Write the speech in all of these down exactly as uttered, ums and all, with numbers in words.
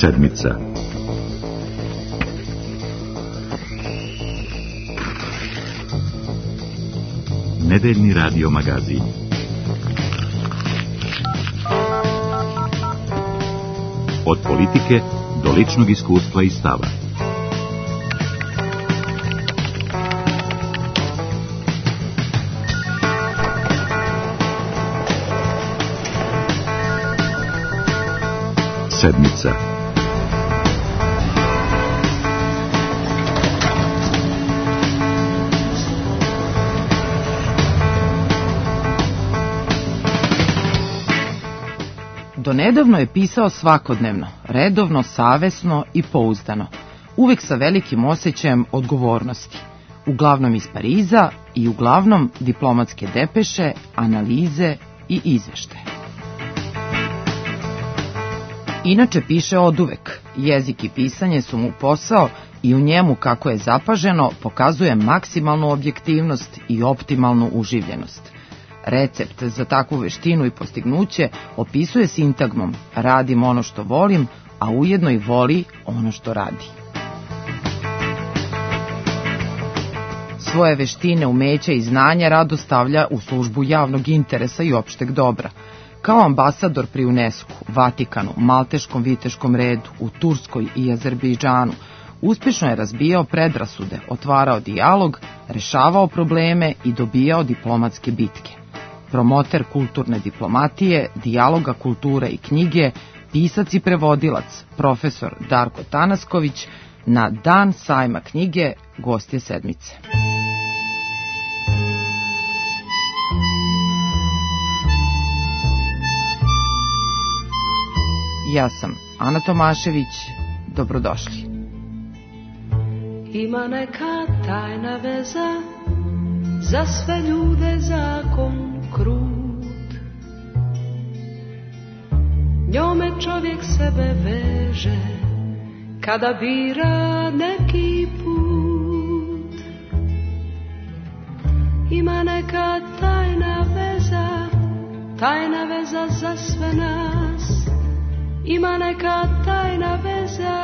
Sedmica. Nedeljni radio magazin. Od politike do ličnog iskustva i stava. Sedmica. Donedavno je pisao svakodnevno, redovno, savesno i pouzdano, uvek sa velikim osjećajem odgovornosti, uglavnom iz Pariza i uglavnom diplomatske depeše, analize i izveštaje. Inače piše oduvek, jezik i pisanje su mu posao i u njemu, kako je zapaženo, pokazuje maksimalnu objektivnost i optimalnu uživljenost. Recept za takvu veštinu i postignuće opisuje sintagmom: radim ono što volim, a ujedno i voli ono što radi. Svoje veštine, umeća i znanja rado stavlja u službu javnog interesa i opšteg dobra. Kao ambasador pri UNESCO, Vatikanu, Malteškom viteškom redu, u Turskoj i Azerbejdžanu, uspješno je razbijao predrasude, otvarao dijalog, rešavao probleme i dobijao diplomatske bitke. Promoter kulturne diplomatije, dijaloga kulture i knjige, pisac i prevodilac, profesor Darko Tanasković, na Dan sajma knjige gost je Sedmice. Ja sam Ana Tomašević, dobrodošli. Ima neka tajna veza, za sve ljude zakon krut. Njome čovjek sebe veže, kada bira neki put. Ima neka tajna veza, tajna veza za sve nas. Ima neka tajna veza,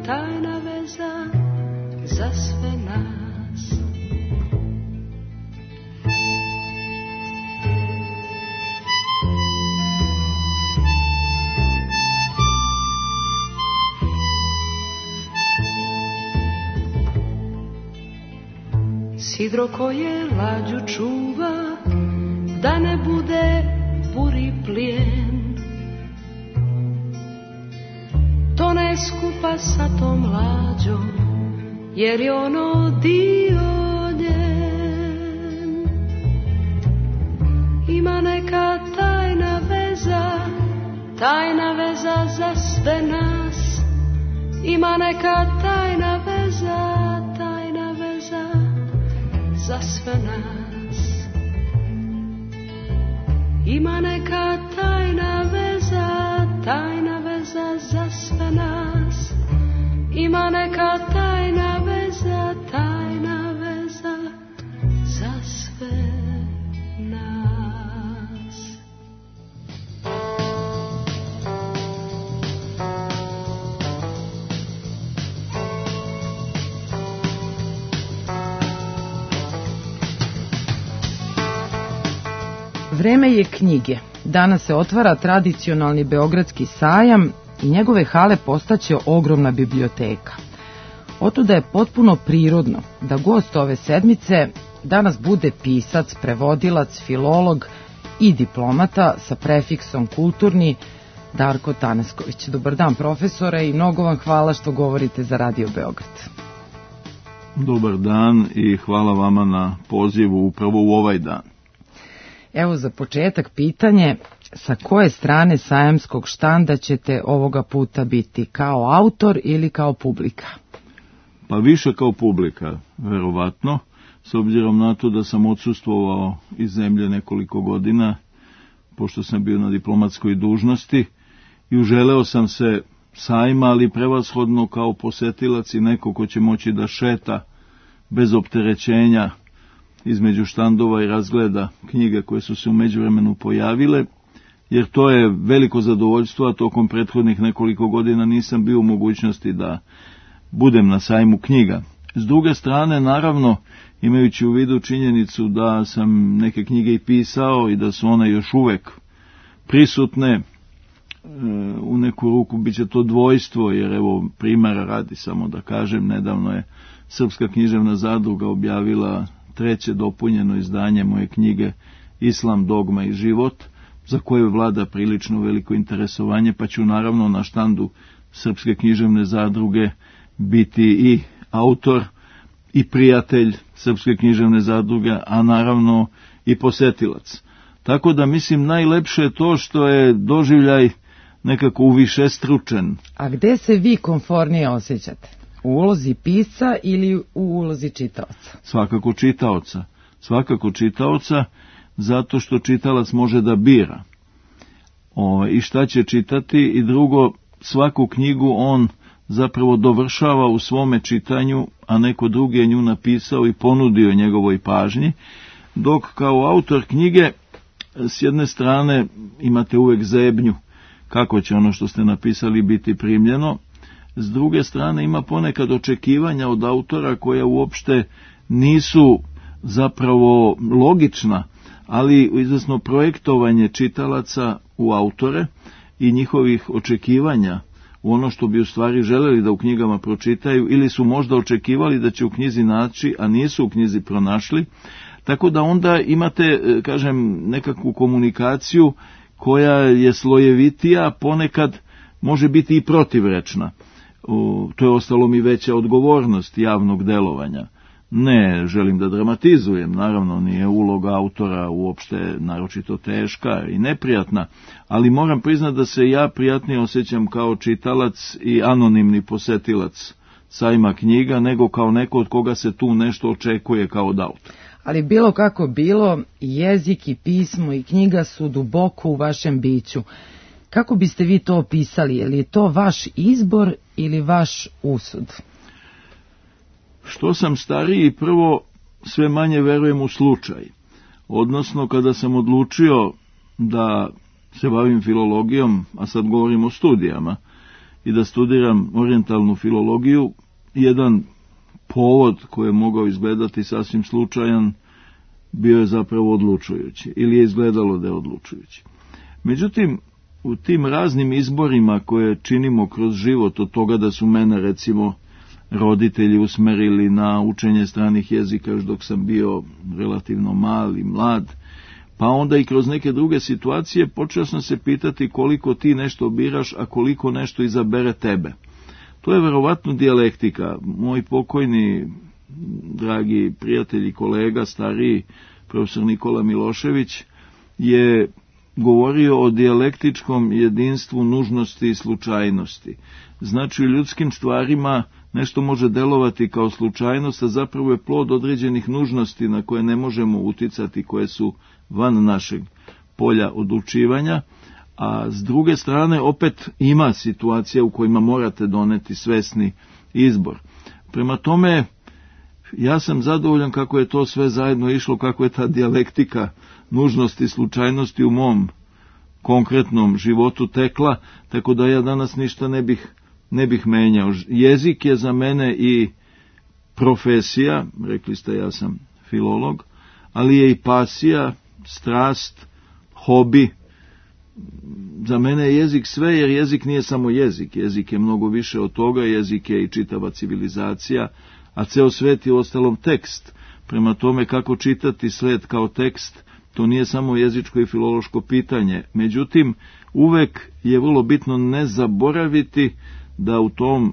tajna veza za sve nas. Sidro koje lađu čuva, da ne bude buri plijen, to ne skupa sa tom lađom, jer je ono dio njen. Ima neka tajna veza, tajna veza za sve nas. Ima neka tajna veza, tajna veza za sve nas. Ima neka tajna veza, tajna veza za sve nas. Ima neka tajna veza, tajna veza za sve nas. Vreme je knjige. Danas se otvara tradicionalni Beogradski sajam i njegove hale postaće ogromna biblioteka. Otuda je potpuno prirodno da gost ove sedmice danas bude pisac, prevodilac, filolog i diplomata sa prefiksom kulturni, Darko Tanasković. Dobar dan, profesore, i mnogo vam hvala što govorite za Radio Beograd. Dobar dan i hvala vama na pozivu upravo u ovaj dan. Evo za početak pitanje, sa koje strane sajamskog štanda ćete ovoga puta biti, kao autor ili kao publika? Pa više kao publika, verovatno, s obzirom na to da sam odsustvovao iz zemlje nekoliko godina, pošto sam bio na diplomatskoj dužnosti, i uželeo sam se sajma, ali prevashodno kao posetilac i neko ko će moći da šeta bez opterećenja između štandova i razgleda knjige koje su se u međuvremenu pojavile, jer to je veliko zadovoljstvo, a tokom prethodnih nekoliko godina nisam bio u mogućnosti da budem na sajmu knjiga. S druge strane, naravno, imajući u vidu činjenicu da sam neke knjige i pisao i da su one još uvek prisutne, u neku ruku bit će to dvojstvo, jer evo primjera radi samo da kažem, nedavno je Srpska književna zadruga objavila treće dopunjeno izdanje moje knjige Islam, dogma i život, za koje vlada prilično veliko interesovanje, pa ću naravno na štandu Srpske književne zadruge biti i autor i prijatelj Srpske književne zadruge, a naravno i posetilac. Tako da mislim najlepše je to što je doživljaj nekako uvišestručen. A gde se vi komfornije osjećate? U ulozi pisca ili u ulozi čitaoca? Svakako čitaoca. Svakako čitaoca, zato što čitalac može da bira o, i šta će čitati, i drugo, svaku knjigu on zapravo dovršava u svome čitanju, a neko drugi je nju napisao i ponudio njegovoj pažnji, dok kao autor knjige s jedne strane imate uvek zebnju kako će ono što ste napisali biti primljeno, s druge strane ima ponekad očekivanja od autora koja uopšte nisu zapravo logična, ali izvesno projektovanje čitalaca u autore i njihovih očekivanja u ono što bi u stvari želeli da u knjigama pročitaju, ili su možda očekivali da će u knjizi naći, a nisu u knjizi pronašli, tako da onda imate, kažem, nekakvu komunikaciju koja je slojevitija, ponekad može biti i protivrečna. To je ostalo mi veća odgovornost javnog delovanja. Ne želim da dramatizujem, naravno nije uloga autora uopšte naročito teška i neprijatna, ali moram priznati da se ja prijatnije osjećam kao čitalac i anonimni posetilac sajma knjiga, nego kao neko od koga se tu nešto očekuje kao od autora. Ali bilo kako bilo, jezik i pismo i knjiga su duboko u vašem biću. Kako biste vi to opisali? Je li to vaš izbor ili vaš usud? Što sam stariji, prvo sve manje verujem u slučaj. Odnosno, kada sam odlučio da se bavim filologijom, a sad govorim o studijama, i da studiram orijentalnu filologiju, jedan povod koji je mogao izgledati sasvim slučajan bio je zapravo odlučujući, ili je izgledalo da je odlučujući. Međutim, u tim raznim izborima koje činimo kroz život, od toga da su mene recimo roditelji usmerili na učenje stranih jezika još dok sam bio relativno mali, mlad, pa onda i kroz neke druge situacije počeo sam se pitati koliko ti nešto biraš, a koliko nešto izabere tebe. To je verovatno dijalektika. Moj pokojni, dragi prijatelj i kolega, stariji profesor Nikola Milošević, je govorio o dijalektičkom jedinstvu nužnosti i slučajnosti. Znači, u ljudskim stvarima nešto može delovati kao slučajnost, a zapravo je plod određenih nužnosti na koje ne možemo uticati, koje su van našeg polja odlučivanja, a s druge strane opet ima situacija u kojima morate doneti svesni izbor. Prema tome, ja sam zadovoljan kako je to sve zajedno išlo, kako je ta dijalektika nužnosti i slučajnosti u mom konkretnom životu tekla, tako da ja danas ništa ne bih, ne bih menjao. Jezik je za mene i profesija, rekli ste ja sam filolog, ali je i pasija, strast, hobi. Za mene je jezik sve, jer jezik nije samo jezik, jezik je mnogo više od toga, jezik je i čitava civilizacija, a ceo svet je ostalom tekst. Prema tome, kako čitati svet kao tekst, to nije samo jezičko i filološko pitanje. Međutim, uvek je vrlo bitno ne zaboraviti da u tom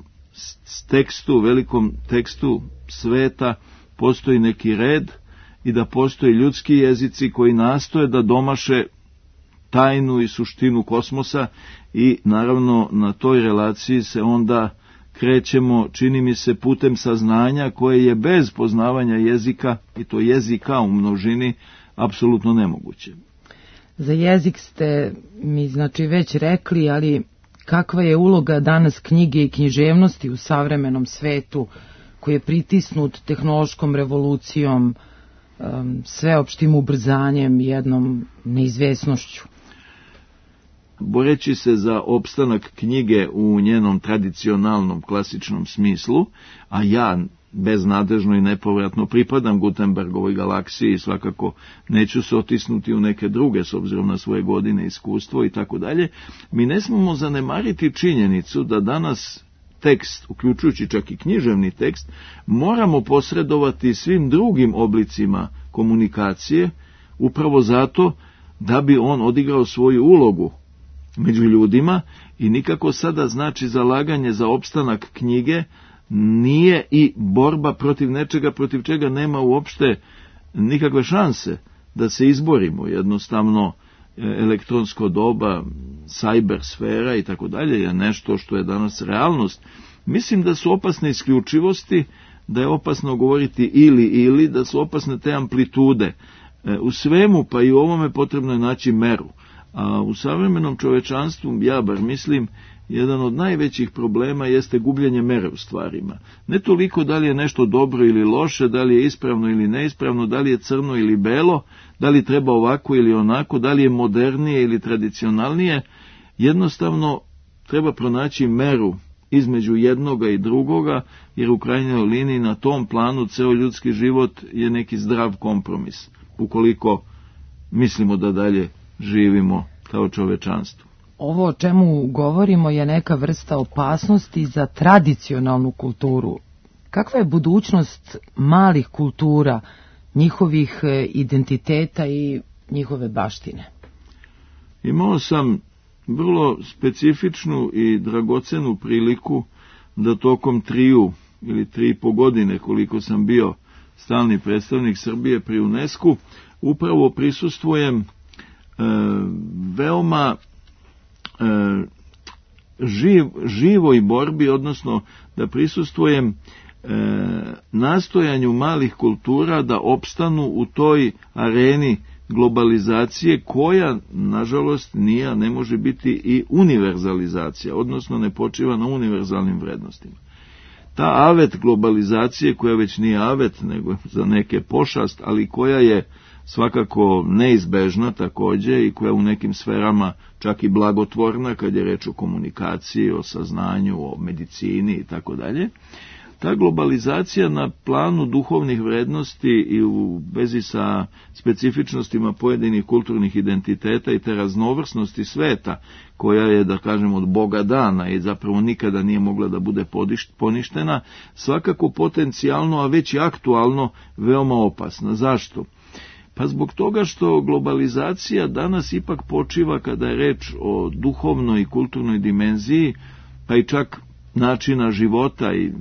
tekstu, velikom tekstu sveta, postoji neki red i da postoji ljudski jezici koji nastoje da domaše tajnu i suštinu kosmosa, i naravno na toj relaciji se onda krećemo, čini mi se, putem saznanja koje je bez poznavanja jezika, i to jezika u množini, apsolutno nemoguće. Za jezik ste mi znači već rekli, ali kakva je uloga danas knjige i književnosti u savremenom svetu koji je pritisnut tehnološkom revolucijom, sveopštim ubrzanjem, jednom neizvesnošću? boreći se za opstanak knjige u njenom tradicionalnom, klasičnom smislu, a ja beznadežno i nepovratno pripadam Gutenbergovoj galaksiji i svakako neću se otisnuti u neke druge s obzirom na svoje godine, iskustvo i tako dalje, mi ne smemo zanemariti činjenicu da danas tekst, uključujući čak i književni tekst, moramo posredovati svim drugim oblicima komunikacije, upravo zato da bi on odigrao svoju ulogu među ljudima i nikako sada znači zalaganje za opstanak knjige nije i borba protiv nečega protiv čega nema uopšte nikakve šanse da se izborimo. Jednostavno elektronsko doba, cyber sfera i tako dalje je nešto što je danas realnost. Mislim da su opasne isključivosti, da je opasno govoriti ili ili, da su opasne te amplitude. U svemu, pa i u ovome potrebno je naći meru. A u savremenom čovečanstvu, ja bar mislim, jedan od najvećih problema jeste gubljenje mere u stvarima. Ne toliko da li je nešto dobro ili loše, da li je ispravno ili neispravno, da li je crno ili belo, da li treba ovako ili onako, da li je modernije ili tradicionalnije. Jednostavno treba pronaći meru između jednoga i drugoga, jer u krajnjoj liniji na tom planu ceo ljudski život je neki zdrav kompromis, ukoliko mislimo da dalje živimo kao čovečanstvo. Ovo o čemu govorimo je neka vrsta opasnosti za tradicionalnu kulturu. Kakva je budućnost malih kultura, njihovih identiteta i njihove baštine? Imao sam vrlo specifičnu i dragocenu priliku da tokom triju ili tri i po godine koliko sam bio stalni predstavnik Srbije pri UNESCO upravo prisustvujem e, veoma e, živ, živoj borbi, odnosno da prisustvujem e, nastojanju malih kultura da opstanu u toj areni globalizacije koja, nažalost, nije, ne može biti i univerzalizacija, odnosno ne počiva na univerzalnim vrednostima. Ta avet globalizacije, koja već nije avet, nego za neke pošast, ali koja je svakako neizbežna također i koja u nekim sferama čak i blagotvorna, kad je reč o komunikaciji, o saznanju, o medicini i tako dalje. Ta globalizacija na planu duhovnih vrednosti i u vezi sa specifičnostima pojedinih kulturnih identiteta i te raznovrsnosti sveta, koja je, da kažem, od Boga dana i zapravo nikada nije mogla da bude poništena, svakako potencijalno, a već i aktualno, veoma opasna. Zašto? Pa zbog toga što globalizacija danas ipak počiva, kada je reč o duhovnoj i kulturnoj dimenziji, pa i čak načina života i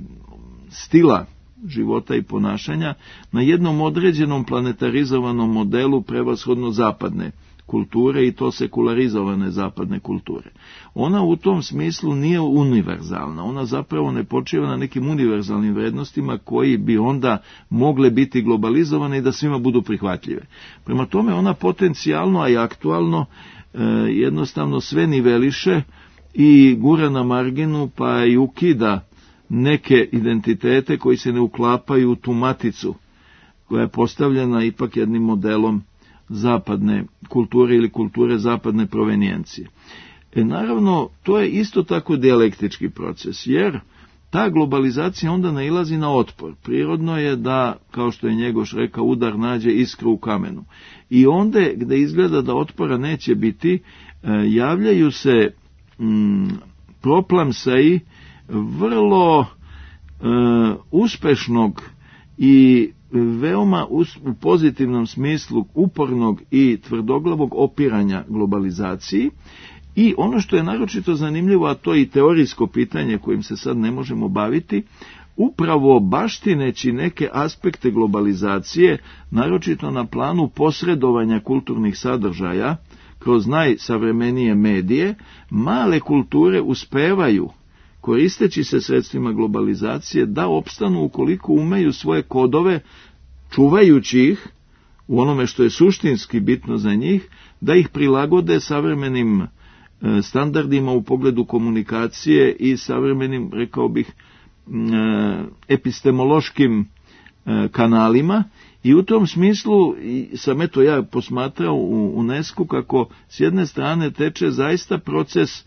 stila života i ponašanja, na jednom određenom planetarizovanom modelu prevashodno zapadne kulture i to sekularizovane zapadne kulture. Ona u tom smislu nije univerzalna, ona zapravo ne počiva na nekim univerzalnim vrednostima koji bi onda mogle biti globalizovane i da svima budu prihvatljive. Prema tome ona potencijalno, a i aktualno, e, jednostavno sve niveliše i gura na marginu pa i ukida neke identitete koji se ne uklapaju u tu maticu koja je postavljena ipak jednim modelom zapadne kulture ili kulture zapadne provenijencije. E, naravno, to je isto tako dijalektički proces, jer ta globalizacija onda nailazi na otpor. Prirodno je da, kao što je Njegoš rekao, udar nađe iskru u kamenu. I onda, gde izgleda da otpora neće biti, e, javljaju se mm, proplamsaji vrlo e, uspešnog i veoma us, u pozitivnom smislu upornog i tvrdoglavog opiranja globalizaciji. I ono što je naročito zanimljivo, a to je i teorijsko pitanje kojim se sad ne možemo baviti, upravo baštineći neke aspekte globalizacije, naročito na planu posredovanja kulturnih sadržaja kroz najsavremenije medije, male kulture uspevaju, koristeći se sredstvima globalizacije, da opstanu ukoliko umeju svoje kodove, čuvajući ih u onome što je suštinski bitno za njih, da ih prilagode savremenim standardima u pogledu komunikacije i savremenim, rekao bih, epistemološkim kanalima I u tom smislu sam eto ja posmatrao u UNESCO kako s jedne strane teče zaista proces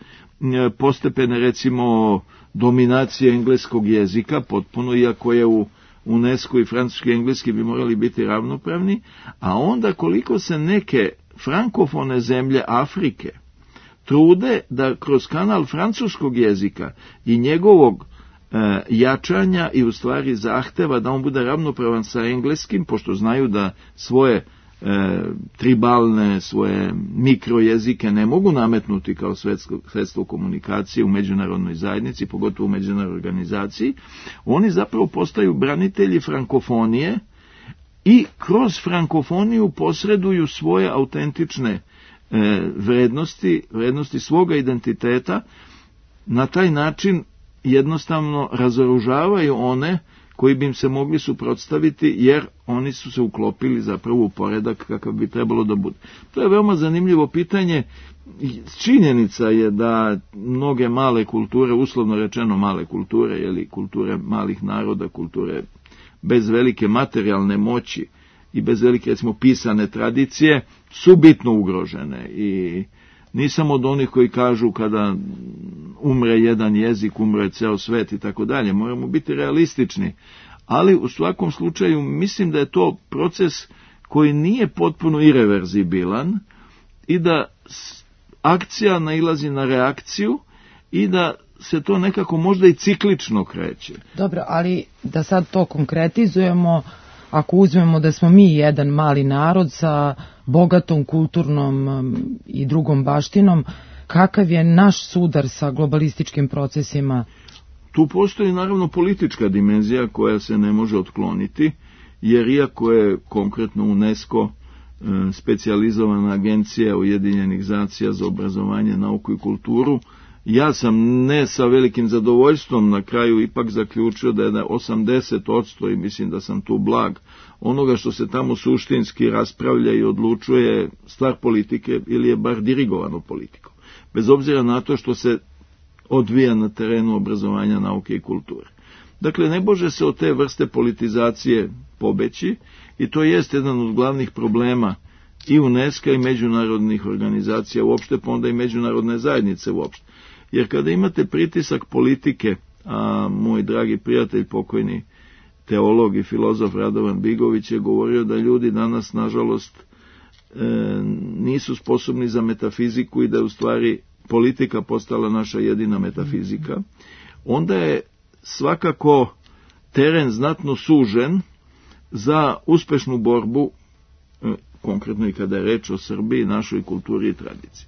postepene recimo dominacije engleskog jezika, potpuno, iako je u UNESCO i francuski i engleski bi morali biti ravnopravni, a onda koliko se neke frankofone zemlje Afrike trude da kroz kanal francuskog jezika i njegovog e, jačanja i u stvari zahteva da on bude ravnopravan sa engleskim, pošto znaju da svoje e, tribalne, svoje mikrojezike ne mogu nametnuti kao sredstvo komunikacije u međunarodnoj zajednici, pogotovo u međunarodnoj organizaciji, oni zapravo postaju branitelji frankofonije i kroz frankofoniju posreduju svoje autentične e, vrednosti, vrednosti svoga identiteta, na taj način jednostavno razoružavaju one koji bi im se mogli suprotstaviti, jer oni su se uklopili zapravo u poredak kakav bi trebalo da bude. To je veoma zanimljivo pitanje. Činjenica je da mnoge male kulture, uslovno rečeno male kulture, jeli, kulture malih naroda, kulture bez velike materijalne moći i bez velike, recimo, pisane tradicije, su bitno ugrožene. I nisam od onih koji kažu kada umre jedan jezik, umre ceo svet i tako dalje. Moramo biti realistični. Ali u svakom slučaju mislim da je to proces koji nije potpuno ireverzibilan i da akcija nailazi na reakciju i da se to nekako možda i ciklično kreće. Dobro, ali da sad to konkretizujemo, ako uzmemo da smo mi jedan mali narod sa bogatom kulturnom i drugom baštinom, kakav je naš sudar sa globalističkim procesima? Tu postoji naravno politička dimenzija koja se ne može otkloniti, jer iako je konkretno UNESCO specijalizovana agencija Ujedinjenih nacija za obrazovanje, nauku i kulturu, ja sam ne sa velikim zadovoljstvom na kraju ipak zaključio da je osamdeset posto, i mislim da sam tu blag, onoga što se tamo suštinski raspravlja i odlučuje stvar politike ili je bar dirigovano politikom, bez obzira na to što se odvija na terenu obrazovanja, nauke i kulture. Dakle, ne može se od te vrste politizacije pobeći i to jest jedan od glavnih problema i UNESCO i međunarodnih organizacija uopšte, pa onda i međunarodne zajednice uopšte. Jer kada imate pritisak politike, a moj dragi prijatelj, pokojni teolog i filozof Radovan Bigović je govorio da ljudi danas, nažalost, e, nisu sposobni za metafiziku i da je u stvari politika postala naša jedina metafizika, onda je svakako teren znatno sužen za uspešnu borbu, e, konkretno i kada je reč o Srbiji, našoj kulturi i tradiciji.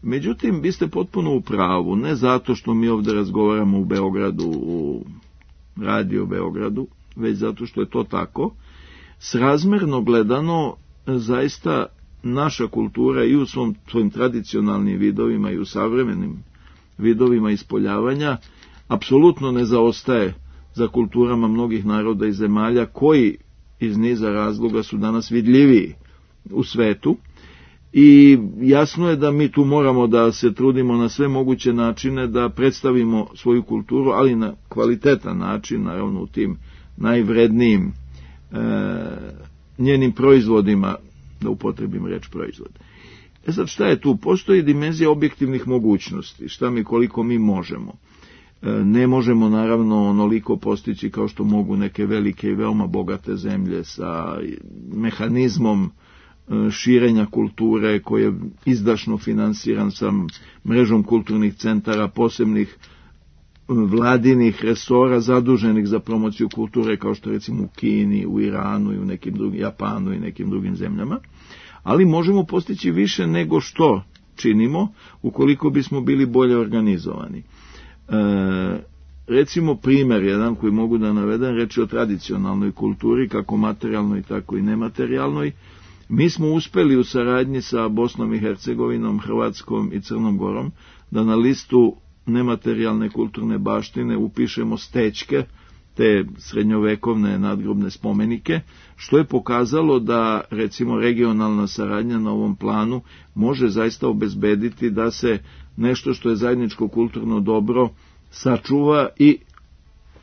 Međutim, vi ste potpuno u pravu, ne zato što mi ovdje razgovaramo u Beogradu, u radio Beogradu, već zato što je to tako. Srazmerno gledano, zaista naša kultura i u svom, svojim tradicionalnim vidovima i u savremenim vidovima ispoljavanja apsolutno ne zaostaje za kulturama mnogih naroda i zemalja koji iz niza razloga su danas vidljiviji u svetu. I jasno je da mi tu moramo da se trudimo na sve moguće načine da predstavimo svoju kulturu, ali na kvalitetan način, naravno u tim najvrednijim e, njenim proizvodima, da upotrebim reč proizvod. E sad, šta je tu? Postoji dimenzija objektivnih mogućnosti, šta mi koliko mi možemo. E, ne možemo naravno onoliko postići kao što mogu neke velike i veoma bogate zemlje sa mehanizmom širenja kulture koji je izdašno finansiran sa mrežom kulturnih centara, posebnih vladinih resora zaduženih za promociju kulture, kao što recimo u Kini, u Iranu i u nekim drugim, Japanu i nekim drugim zemljama, ali možemo postići više nego što činimo ukoliko bismo bili bolje organizovani. E, recimo primjer jedan koji mogu da navedem, reći o tradicionalnoj kulturi, kako materijalnoj tako i nematerijalnoj. Mi smo uspeli u saradnji sa Bosnom i Hercegovinom, Hrvatskom i Crnom Gorom da na listu nematerijalne kulturne baštine upišemo stećke, te srednjovekovne nadgrobne spomenike, što je pokazalo da recimo regionalna saradnja na ovom planu može zaista obezbediti da se nešto što je zajedničko kulturno dobro sačuva i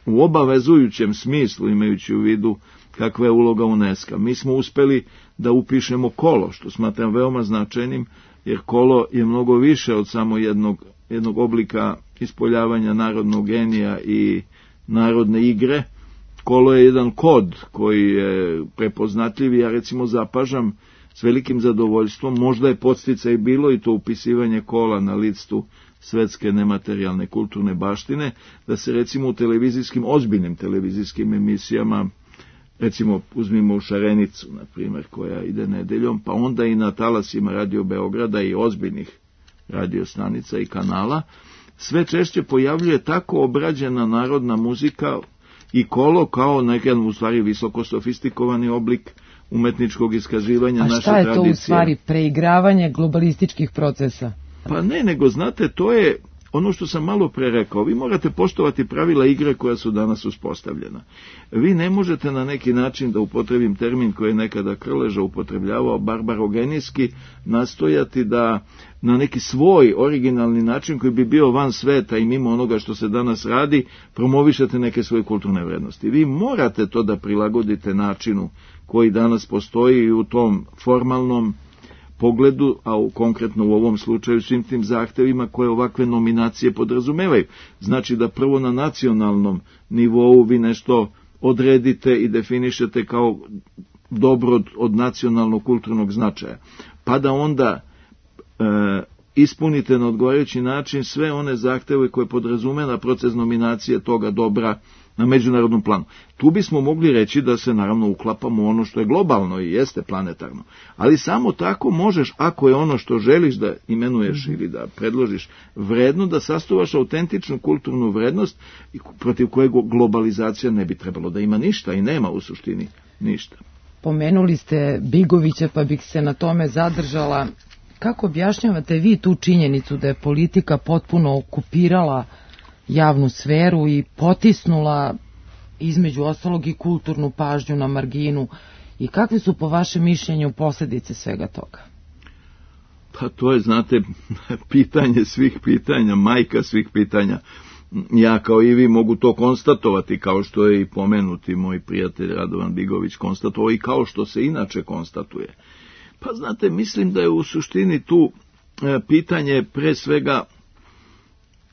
u obavezujućem smislu, imajući u vidu kakva je uloga UNESCO. Mi smo uspeli da upišemo kolo, što smatram veoma značajnim, jer kolo je mnogo više od samo jednog, jednog oblika ispoljavanja narodnog genija i narodne igre. Kolo je jedan kod koji je prepoznatljiv i ja recimo zapažam s velikim zadovoljstvom, možda je podsticaj bilo i to upisivanje kola na listu svetske nematerijalne kulturne baštine, da se recimo u televizijskim, ozbiljnim televizijskim emisijama, recimo uzmimo u Šarenicu, na primjer, koja ide nedeljom, pa onda i na talasima Radio Beograda i ozbiljnih radiostanica i kanala, sve češće pojavljuje tako obrađena narodna muzika i kolo kao nekad u stvari visoko sofistikovani oblik umetničkog iskazivanja naše tradicije. A šta je to u stvari preigravanje globalističkih procesa? Pa ne, nego znate, to je ono što sam malo pre rekao. Vi morate poštovati pravila igre koja su danas uspostavljena. Vi ne možete na neki način, da upotrebim termin koji je nekada Krleža upotrebljavao, barbarogenijski, nastojati da na neki svoj originalni način koji bi bio van sveta i mimo onoga što se danas radi, promovišete neke svoje kulturne vrednosti. Vi morate to da prilagodite načinu koji danas postoji u tom formalnom pogledu, a u, konkretno u ovom slučaju svim tim zahtevima koje ovakve nominacije podrazumevaju. Znači da prvo na nacionalnom nivou vi nešto odredite i definišete kao dobro od, od nacionalnog kulturnog značaja, pa da onda e, ispunite na odgovarajući način sve one zahteve koje podrazumeva proces nominacije toga dobra na međunarodnom planu. Tu bismo mogli reći da se naravno uklapamo u ono što je globalno i jeste planetarno. Ali samo tako možeš, ako je ono što želiš da imenuješ ili da predložiš vredno, da sastovaš autentičnu kulturnu vrednost protiv kojeg globalizacija ne bi trebalo da ima ništa i nema u suštini ništa. Pomenuli ste Bigovića, pa bih se na tome zadržala. Kako objašnjavate vi tu činjenicu da je politika potpuno okupirala javnu sferu i potisnula između ostalog i kulturnu pažnju na marginu, i kakve su po vašem mišljenju posljedice svega toga? Pa to je, znate, pitanje svih pitanja, majka svih pitanja. Ja kao i vi mogu to konstatovati, kao što je i pomenuti moj prijatelj Radovan Bigović konstatovao i kao što se inače konstatuje. Pa znate, mislim da je u suštini tu pitanje pre svega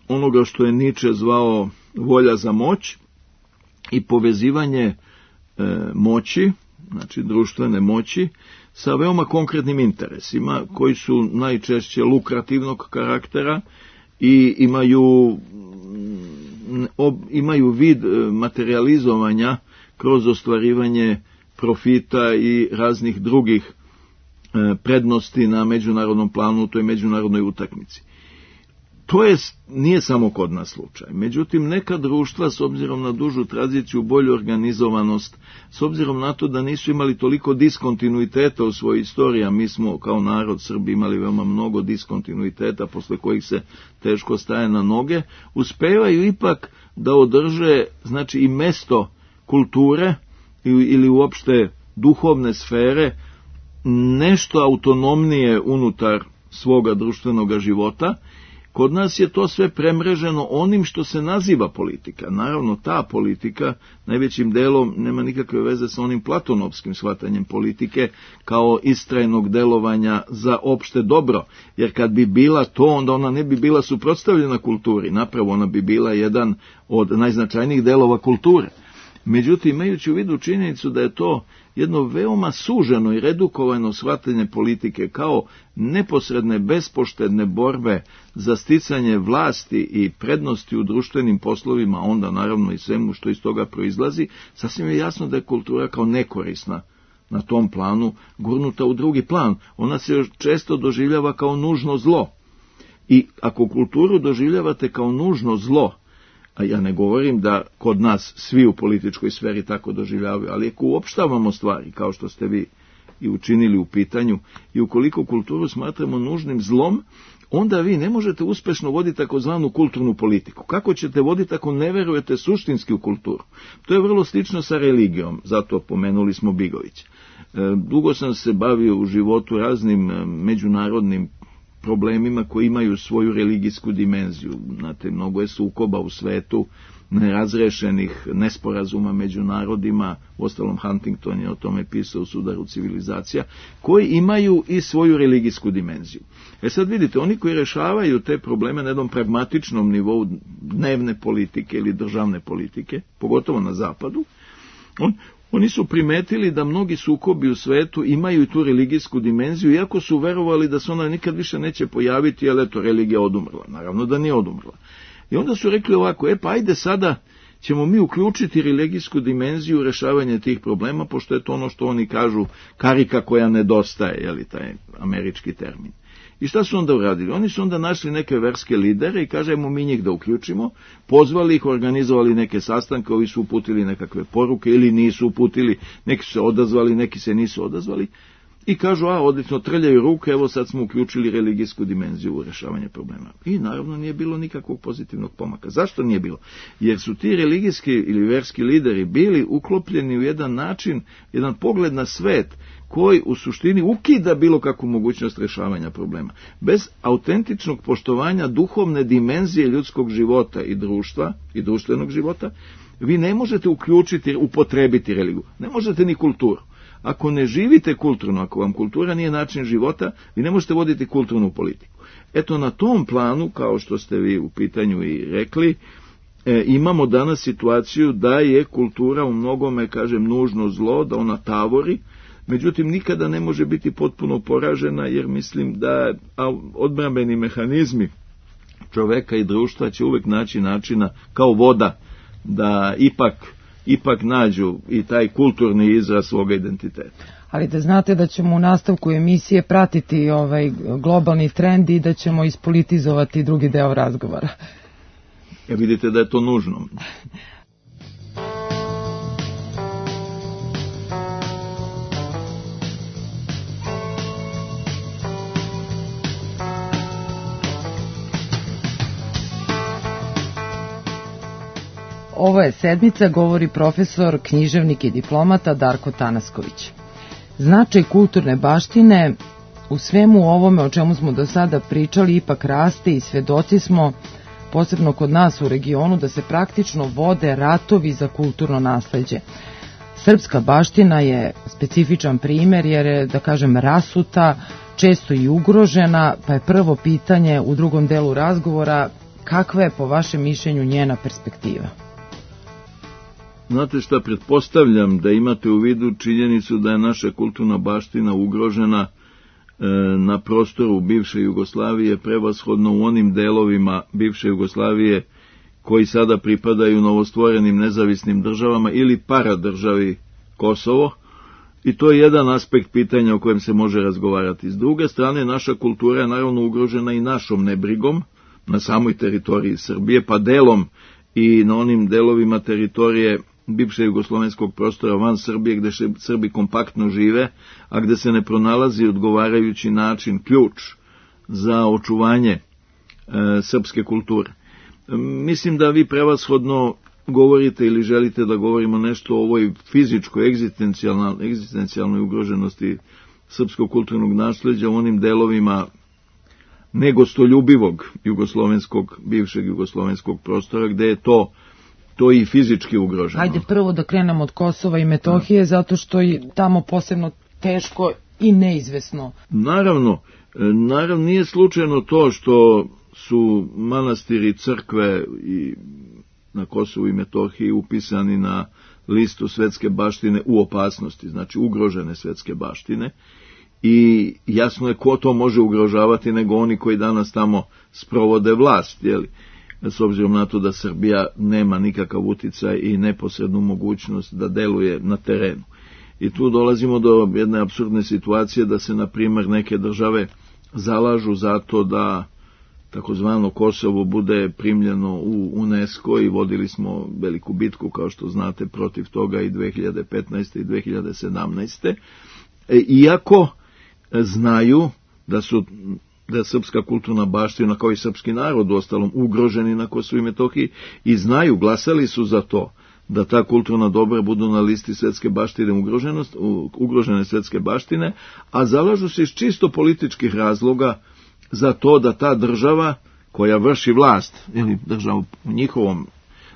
onoga što je Nietzsche zvao volja za moć i povezivanje e, moći, znači društvene moći, sa veoma konkretnim interesima koji su najčešće lukrativnog karaktera i imaju, ob, imaju vid materializovanja kroz ostvarivanje profita i raznih drugih e, prednosti na međunarodnom planu u toj međunarodnoj utakmici. To je, nije samo kod nas slučaj. Međutim, neka društva, s obzirom na dužu tradiciju, bolju organizovanost, s obzirom na to da nisu imali toliko diskontinuiteta u svojoj istoriji, a mi smo kao narod Srbi imali veoma mnogo diskontinuiteta posle kojih se teško staje na noge, uspevaju ipak da održe, znači, i mesto kulture ili uopšte duhovne sfere nešto autonomnije unutar svoga društvenog života. Kod nas je to sve premreženo onim što se naziva politika. Naravno, ta politika najvećim delom nema nikakve veze sa onim platonovskim shvatanjem politike kao istrajnog delovanja za opšte dobro, jer kad bi bila to, onda ona ne bi bila suprotstavljena kulturi, napravo ona bi bila jedan od najznačajnijih delova kulture. Međutim, imajući u vidu činjenicu da je to jedno veoma suženo i redukovano shvatanje politike kao neposredne, bespoštedne borbe za sticanje vlasti i prednosti u društvenim poslovima, onda naravno i svemu što iz toga proizlazi, sasvim je jasno da je kultura kao nekorisna na tom planu gurnuta u drugi plan. Ona se često doživljava kao nužno zlo. I ako kulturu doživljavate kao nužno zlo, a ja ne govorim da kod nas svi u političkoj sferi tako doživljavaju, ali ako uopštavamo stvari, kao što ste vi i učinili u pitanju, i ukoliko kulturu smatramo nužnim zlom, onda vi ne možete uspešno voditi takozvanu kulturnu politiku. Kako ćete voditi ako ne verujete suštinski u kulturu? To je vrlo slično sa religijom, zato pomenuli smo Bigovića. Dugo sam se bavio u životu raznim međunarodnim problemima koji imaju svoju religijsku dimenziju. Znate, mnogo je sukoba u svetu, nerazrešenih nesporazuma među narodima, uostalom Huntington je o tome pisao u Sudaru civilizacija, koji imaju i svoju religijsku dimenziju. E sad vidite, oni koji rešavaju te probleme na jednom pragmatičnom nivou dnevne politike ili državne politike, pogotovo na zapadu, on, oni su primetili da mnogi sukobi u svetu imaju i tu religijsku dimenziju, iako su verovali da se ona nikad više neće pojaviti, jer eto, religija odumrla. Naravno da nije odumrla. I onda su rekli ovako, e pa ajde sada ćemo mi uključiti religijsku dimenziju u rešavanje tih problema, pošto je to ono što oni kažu karika koja nedostaje, je li taj američki termin. I šta su onda uradili? Oni su onda našli neke verske lidere i kažemo mi njih da uključimo, pozvali ih, organizovali neke sastanke, ovi su uputili nekakve poruke ili nisu uputili, neki su se odazvali, neki se nisu odazvali. I kažu, a, odlično, trljaju ruke, evo sad smo uključili religijsku dimenziju u rešavanje problema. I naravno nije bilo nikakvog pozitivnog pomaka. Zašto nije bilo? Jer su ti religijski ili verski lideri bili uklopljeni u jedan način, jedan pogled na svet, koji u suštini ukida bilo kakvu mogućnost rešavanja problema. Bez autentičnog poštovanja duhovne dimenzije ljudskog života i društva, i društvenog života, vi ne možete uključiti, upotrebiti religiju. Ne možete ni kulturu. Ako ne živite kulturno, ako vam kultura nije način života, vi ne možete voditi kulturnu politiku. Eto, na tom planu, kao što ste vi u pitanju i rekli, e, imamo danas situaciju da je kultura u mnogome, kažem, nužno zlo, da ona tavori, međutim, nikada ne može biti potpuno poražena, jer mislim da odbrambeni mehanizmi čoveka i društva će uvek naći načina, kao voda, da ipak ipak nađu i taj kulturni izraz svoga identiteta. Ali da znate da ćemo u nastavku emisije pratiti ovaj globalni trend i da ćemo ispolitizovati drugi deo razgovora. Ja vidite da je to nužno. Ovo je sedmica, govori profesor, književnik i diplomata Darko Tanasković. Značaj kulturne baštine u svemu ovome o čemu smo do sada pričali ipak raste i svedoci smo, posebno kod nas u regionu, da se praktično vode ratovi za kulturno nasleđe. Srpska baština je specifičan primer jer je, da kažem, rasuta, često i ugrožena, pa je prvo pitanje u drugom delu razgovora kakva je po vašem mišljenju njena perspektiva? Znate šta, pretpostavljam da imate u vidu činjenicu da je naša kulturna baština ugrožena e, na prostoru bivše Jugoslavije, prevashodno u onim delovima bivše Jugoslavije koji sada pripadaju novostvorenim nezavisnim državama ili paradržavi Kosovo, i to je jedan aspekt pitanja o kojem se može razgovarati. S druge strane, naša kultura je naravno ugrožena i našom nebrigom na samoj teritoriji Srbije, pa delom i na onim delovima teritorije bivše jugoslovenskog prostora van Srbije, gde Srbi kompaktno žive, a gde se ne pronalazi odgovarajući način, ključ za očuvanje e, srpske kulture. E, mislim da vi prevashodno govorite ili želite da govorimo nešto o ovoj fizičkoj, egzistencijalnoj, egzistencijalnoj ugroženosti srpskog kulturnog nasleđa u onim delovima negostoljubivog jugoslovenskog, bivšeg jugoslovenskog prostora, gde je to to i fizički ugroženo. Hajde prvo da krenemo od Kosova i Metohije, da. Zato što je tamo posebno teško i neizvesno. Naravno, naravno nije slučajno to što su manastiri, crkve i na Kosovu i Metohiji upisani na listu svetske baštine u opasnosti, znači ugrožene svetske baštine, i jasno je ko to može ugrožavati nego oni koji danas tamo sprovode vlast, jeli? S obzirom na to da Srbija nema nikakav uticaj i neposrednu mogućnost da deluje na terenu. I tu dolazimo do jedne apsurdne situacije da se, na primjer, neke države zalažu za to da takozvano Kosovo bude primljeno u UNESCO i vodili smo veliku bitku, kao što znate, protiv toga i dve hiljade petnaeste. i dve hiljade sedamnaeste. E, iako znaju da su da je srpska kulturna baština, kao i srpski narod u ostalom, ugroženi na Kosovu i Metohiji, i znaju, glasali su za to da ta kulturna dobra budu na listi svetske baštine, ugrožene svetske baštine, a zalažu se iz čisto političkih razloga za to da ta država koja vrši vlast, ili država u njihovom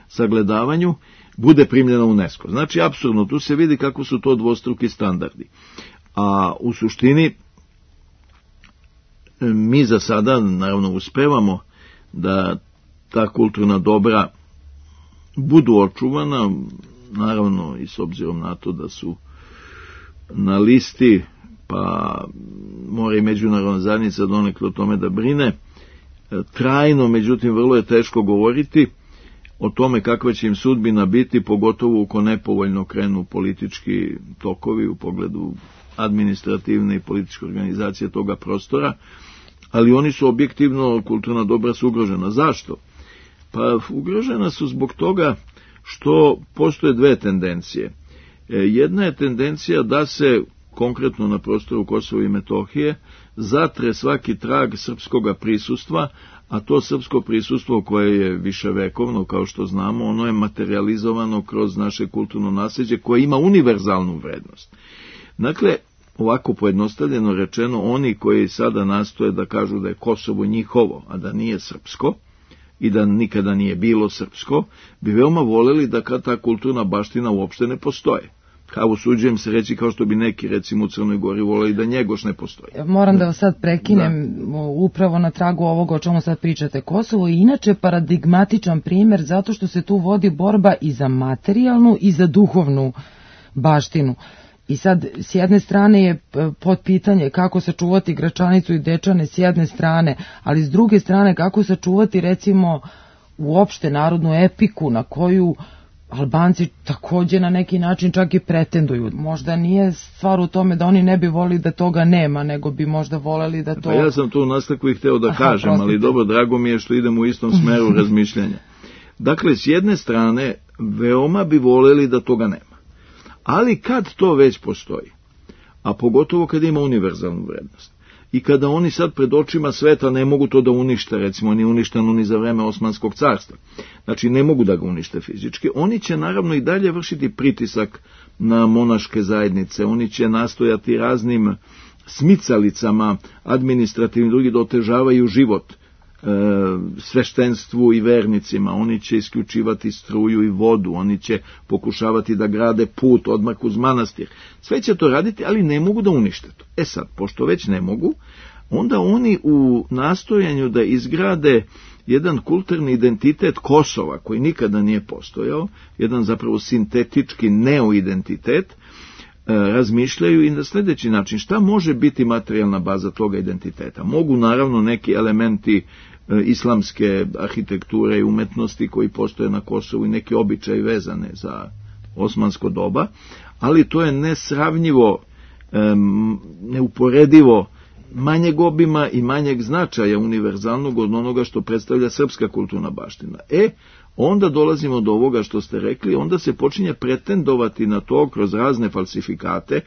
sagledavanju, bude primljena u UNESCO. Znači, apsurdno, tu se vidi kako su to dvostruki standardi. A u suštini, mi za sada, naravno, uspevamo da ta kulturna dobra budu očuvana, naravno i s obzirom na to da su na listi, pa mora i međunarodna zajednica donekle o tome da brine, trajno, međutim, vrlo je teško govoriti o tome kakva će im sudbina biti, pogotovo uko nepovoljno krenu politički tokovi u pogledu administrativne i političke organizacije toga prostora, ali oni su objektivno, kulturna dobra su ugrožena. Zašto? Pa ugrožena su zbog toga što postoje dve tendencije. Jedna je tendencija da se konkretno na prostoru Kosova i Metohije zatre svaki trag srpskoga prisustva, a to srpsko prisustvo koje je viševekovno, kao što znamo, ono je materializovano kroz naše kulturno nasljeđe koje ima univerzalnu vrednost. Dakle, ovako pojednostavljeno rečeno, oni koji sada nastoje da kažu da je Kosovo njihovo, a da nije srpsko, i da nikada nije bilo srpsko, bi veoma voleli da kad ta kulturna baština uopšte ne postoje. Kao usuđujem se reći, kao što bi neki, recimo u Crnoj Gori, voleli da Njegoš ne postoji. Moram da vas sad prekinem da. Upravo na tragu ovoga o čemu sad pričate. Kosovo je inače paradigmatičan primjer zato što se tu vodi borba i za materijalnu i za duhovnu baštinu. I sad, s jedne strane je pod pitanje kako sačuvati Gračanicu i Dečane s jedne strane, ali s druge strane kako sačuvati recimo uopšte narodnu epiku na koju Albanci također na neki način čak i pretenduju. Možda nije stvar u tome da oni ne bi volili da toga nema, nego bi možda voleli da to... Pa ja sam to u nastavku i hteo da Aha, kažem, prostite. Ali dobro, drago mi je što idemo u istom smeru razmišljanja. Dakle, s jedne strane, veoma bi voleli da toga nema. Ali kad to već postoji, a pogotovo kad ima univerzalnu vrednost, i kada oni sad pred očima sveta ne mogu to da unište, recimo ni uništeno ni za vreme Osmanskog carstva, znači ne mogu da ga unište fizički, oni će naravno i dalje vršiti pritisak na monaške zajednice, oni će nastojati raznim smicalicama administrativnim drugi da otežavaju život e, sveštenstvu i vernicima, oni će isključivati struju i vodu, oni će pokušavati da grade put odmah uz manastir, sve će to raditi, ali ne mogu da unište to. E sad, pošto već ne mogu, onda oni u nastojanju da izgrade jedan kulturni identitet Kosova, koji nikada nije postojao, jedan zapravo sintetički neoidentitet, razmišljaju i na sljedeći način šta može biti materijalna baza toga identiteta. Mogu naravno neki elementi e, islamske arhitekture i umetnosti koji postoje na Kosovu i neki običaji vezane za osmansko doba, ali to je nesravnjivo, e, neuporedivo manjeg obima i manjeg značaja univerzalnog od onoga što predstavlja srpska kulturna baština. E, onda dolazimo do ovoga što ste rekli, onda se počinje pretendovati na to kroz razne falsifikate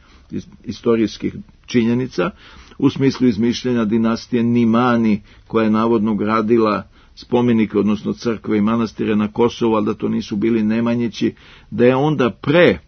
istorijskih činjenica, u smislu izmišljenja dinastije Nimani, koja je navodno gradila spomenike, odnosno crkve i manastire na Kosovu, ali da to nisu bili Nemanjići, da je onda pre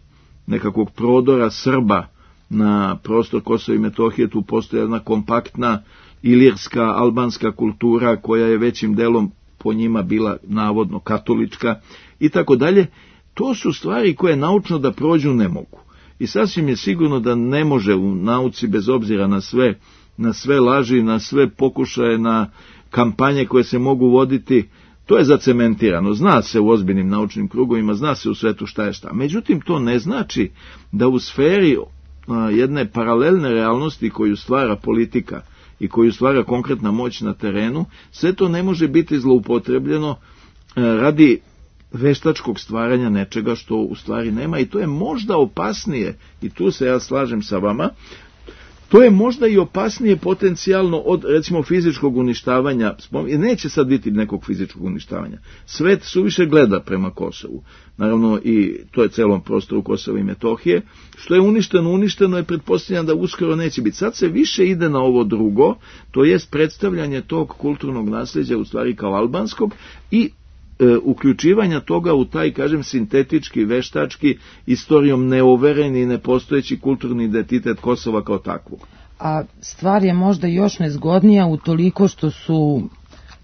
nekakvog prodora Srba na prostor Kosova i Metohije tu postoji jedna kompaktna ilirska albanska kultura koja je većim delom po njima bila navodno katolička i tako dalje. To su stvari koje naučno da prođu ne mogu. I sasvim je sigurno da ne može u nauci, bez obzira na sve, na sve laži, na sve pokušaje, na kampanje koje se mogu voditi, to je zacementirano. Zna se u ozbiljnim naučnim krugovima, zna se u svetu šta je šta. Međutim, to ne znači da u sferi a, jedne paralelne realnosti koju stvara politika i koju stvara konkretna moć na terenu, sve to ne može biti zloupotrebljeno radi veštačkog stvaranja nečega što u stvari nema, i to je možda opasnije, i tu se ja slažem sa vama, to je možda i opasnije potencijalno od, recimo, fizičkog uništavanja, i neće sad biti nekog fizičkog uništavanja. Svet suviše gleda prema Kosovu, naravno i to je celom prostoru Kosova i Metohije, što je uništeno, uništeno je, pretpostavljam da uskoro neće biti. Sad se više ide na ovo drugo, to jest predstavljanje tog kulturnog nasljeđa u stvari kao albanskog i e, uključivanja toga u taj, kažem, sintetički, veštački, istorijom neovereni i nepostojeći kulturni identitet Kosova kao takvog. a stvar je možda još nezgodnija utoliko što su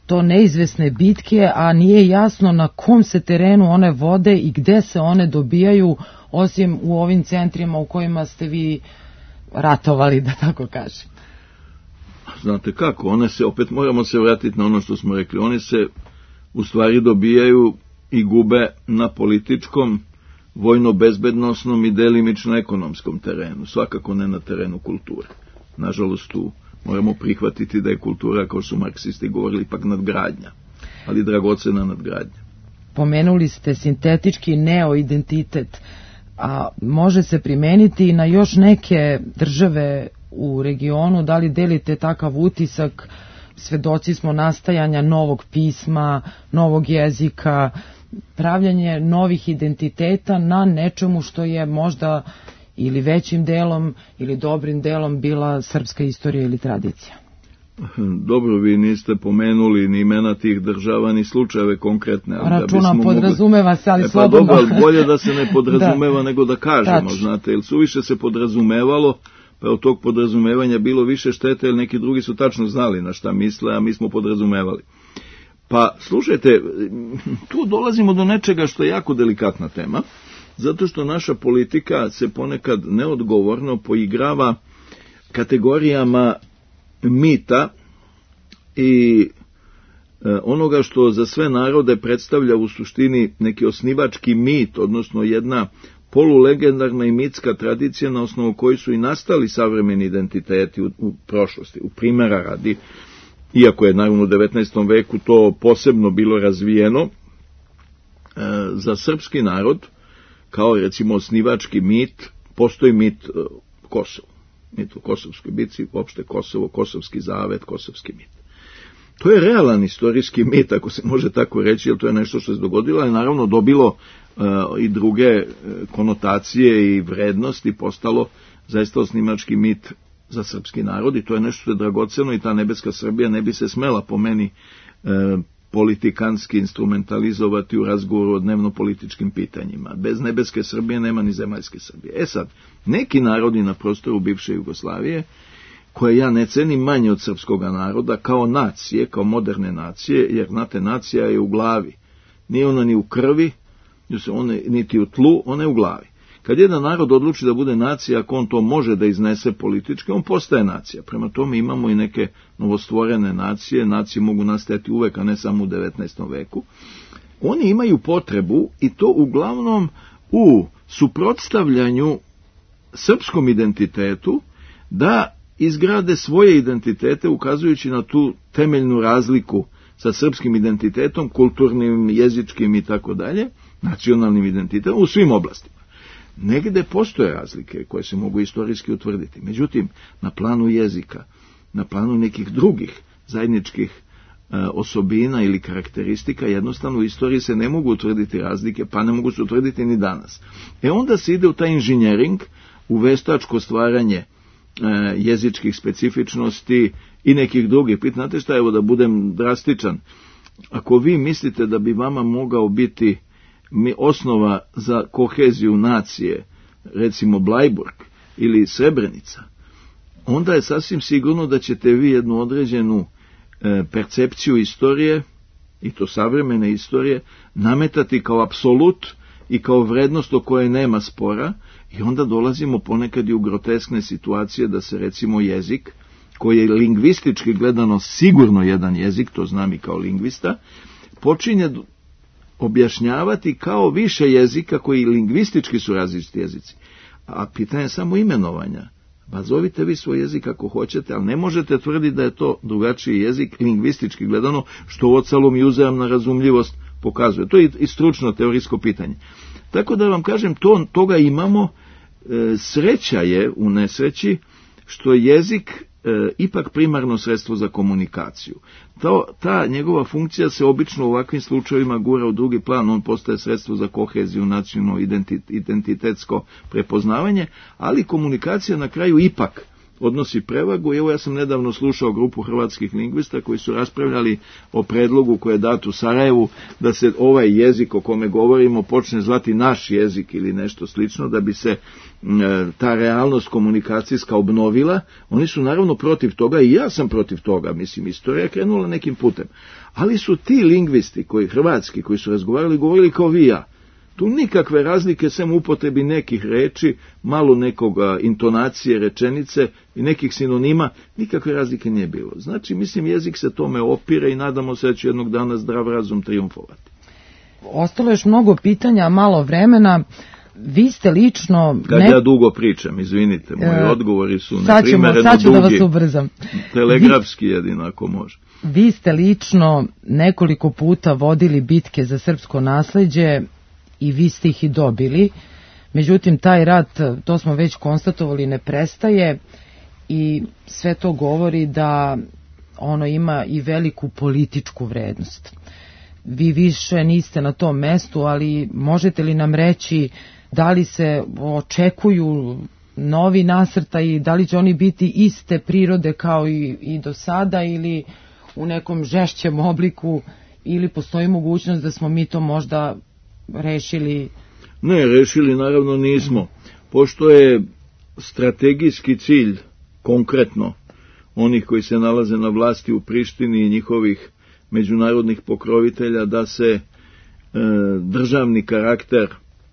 to neizvesne bitke, a nije jasno na kom se terenu one vode i gde se one dobijaju, osim u ovim centrima u kojima ste vi ratovali, da tako kažem. Znate kako, one se, opet moramo se vratiti na ono što smo rekli, one se u stvari dobijaju i gube na političkom, vojno-bezbednosnom i delimično ekonomskom terenu, svakako ne na terenu kulture. Nažalost, tu moramo prihvatiti da je kultura, kao su marksisti govorili, ipak nadgradnja, ali dragocena nadgradnja. Pomenuli ste sintetički neoidentitet, a može se primeniti i na još neke države u regionu. Da li delite takav utisak? Svedoci smo nastajanja novog pisma, novog jezika, pravljanje novih identiteta na nečemu što je možda ili većim delom ili dobrim delom bila srpska istorija ili tradicija. Dobro, vi niste pomenuli ni imena tih država, ni slučajeve konkretne. Računam, da podrazumeva se, ali e, pa slobodno. Dobro, bolje da se ne podrazumeva da. nego da kažemo, Tač. znate, jer suviše se podrazumevalo, pa od tog podrazumevanja bilo više štete, jer neki drugi su tačno znali na šta misle, a mi smo podrazumevali. Pa, slušajte, tu dolazimo do nečega što je jako delikatna tema, zato što naša politika se ponekad neodgovorno poigrava kategorijama mita i e, onoga što za sve narode predstavlja u suštini neki osnivački mit, odnosno jedna polulegendarna i mitska tradicija na osnovu koji su i nastali savremeni identiteti u, u prošlosti. U primjera radi, iako je naravno u devetnaestom veku to posebno bilo razvijeno, e, za srpski narod, kao recimo osnivački mit, postoji mit e, Kosovo. Mit o Kosovskoj bitci, uopšte Kosovo, Kosovski zavet, Kosovski mit. To je realan istorijski mit, ako se može tako reći, jer to je nešto što se dogodilo, ali naravno dobilo uh, i druge uh, konotacije i vrednosti, postalo zaista osnivački mit za srpski narod i to je nešto što je dragoceno i ta nebeska Srbija ne bi se smela po meni uh, politikanski instrumentalizovati u razgovoru o dnevno-političkim pitanjima. Bez nebeske Srbije nema ni zemaljske Srbije. E sad, neki narodi na prostoru bivše Jugoslavije, koje ja ne cenim manje od srpskog naroda, kao nacije, kao moderne nacije, jer, znate, nacija je u glavi. Nije ona ni u krvi, niti u tlu, ona je u glavi. Kad jedan narod odluči da bude nacija, ako on to može da iznese politički, on postaje nacija. Prema tome imamo i neke novostvorene nacije, nacije mogu nastajati uvek, a ne samo u devetnaestom veku. Oni imaju potrebu, i to uglavnom u suprotstavljanju srpskom identitetu, da izgrade svoje identitete, ukazujući na tu temeljnu razliku sa srpskim identitetom, kulturnim, jezičkim i tako dalje, nacionalnim identitetom u svim oblastima. Negde postoje razlike koje se mogu istorijski utvrditi. Međutim, na planu jezika, na planu nekih drugih zajedničkih e, osobina ili karakteristika, jednostavno u istoriji se ne mogu utvrditi razlike, pa ne mogu se utvrditi ni danas. E onda se ide u taj inženjering, u veštačko stvaranje e, jezičkih specifičnosti i nekih drugih. Znate šta, evo da budem drastičan, ako vi mislite da bi vama mogao biti mi osnova za koheziju nacije, recimo Blajburg ili Srebrenica, onda je sasvim sigurno da ćete vi jednu određenu e, percepciju istorije, i to savremene istorije, nametati kao apsolut i kao vrednost o kojoj nema spora, i onda dolazimo ponekad i u groteskne situacije da se recimo jezik, koji je lingvistički gledano sigurno jedan jezik, to znam i kao lingvista, počinje objašnjavati kao više jezika koji lingvistički su različiti jezici. A pitanje je samo imenovanja. Pa zovite vi svoj jezik ako hoćete, ali ne možete tvrditi da je to drugačiji jezik lingvistički gledano, što ocalom i uzajamna razumljivost pokazuje. To je i stručno teorijsko pitanje. Tako da vam kažem, to, toga imamo, e, sreća je u nesreći što jezik E, ipak primarno sredstvo za komunikaciju. To, ta njegova funkcija se obično u ovakvim slučajevima gura u drugi plan, on postaje sredstvo za koheziju, nacionalno identitetsko prepoznavanje, ali komunikacija na kraju ipak odnosi prevagu. I evo ja sam nedavno slušao grupu hrvatskih lingvista koji su raspravljali o predlogu koji je dat u Sarajevu da se ovaj jezik o kome govorimo počne zvati naš jezik ili nešto slično, da bi se ta realnost komunikacijska obnovila. Oni su naravno protiv toga i ja sam protiv toga, mislim, istorija je krenula nekim putem. Ali su ti lingvisti, koji hrvatski, koji su razgovarali, govorili kao vi ja. Tu nikakve razlike, sem upotrebi nekih reči, malo nekoga intonacije, rečenice i nekih sinonima, nikakve razlike nije bilo. Znači, mislim, jezik se tome opire i nadamo se da će jednog dana zdrav razum triumfovati. Ostalo je još mnogo pitanja, malo vremena. Vi ste lično... Kad ne... ja dugo pričam, izvinite, moji e, odgovori su neprimereno dugi. Sad ću da vas ubrzam. Telegrafski vi, jedino ako može. Vi ste lično nekoliko puta vodili bitke za srpsko nasleđe i vi ste ih i dobili. Međutim, taj rat, to smo već konstatovali, ne prestaje i sve to govori da ono ima i veliku političku vrednost. Vi više niste na tom mestu, ali možete li nam reći da li se očekuju novi nasrtaji, da li će oni biti iste prirode kao i, i do sada ili u nekom žešćem obliku, ili postoji mogućnost da smo mi to možda rešili? Ne, rešili naravno nismo. Pošto je strategijski cilj konkretno onih koji se nalaze na vlasti u Prištini i njihovih međunarodnih pokrovitelja da se e, državni karakter